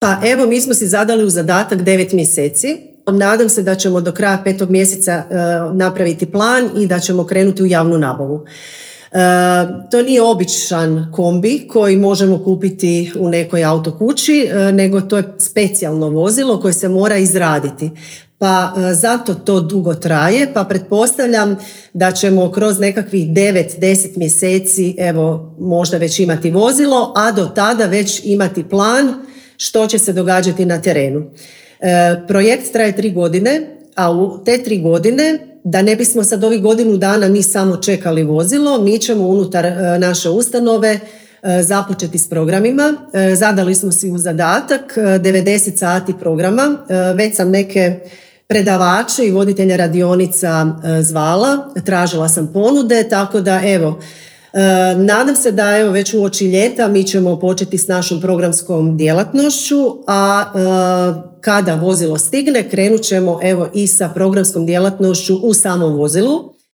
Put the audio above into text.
Pa evo, mi smo si zadali u zadatak 9 mjeseci. Nadam se da ćemo do kraja 5. mjeseca napraviti plan i da ćemo krenuti u javnu nabavu. To nije običan kombi koji možemo kupiti u nekoj autokući, nego to je specijalno vozilo koje se mora izraditi. Pa zato to dugo traje, pa pretpostavljam da ćemo kroz nekakvih 9-10 mjeseci evo možda već imati vozilo, a do tada već imati plan što će se događati na terenu. Projekt traje 3 godine, a u te 3 godine, da ne bismo sad ovih godinu dana mi samo čekali vozilo, mi ćemo unutar naše ustanove započeti s programima. Zadali smo si u zadatak 90 sati programa, već sam neke predavače i voditelja radionica zvala, tražila sam ponude, tako da evo, nadam se da evo već uoči ljeta mi ćemo početi s našom programskom djelatnošću, a kada vozilo stigne krenut ćemo evo i sa programskom djelatnošću u samom vozilu.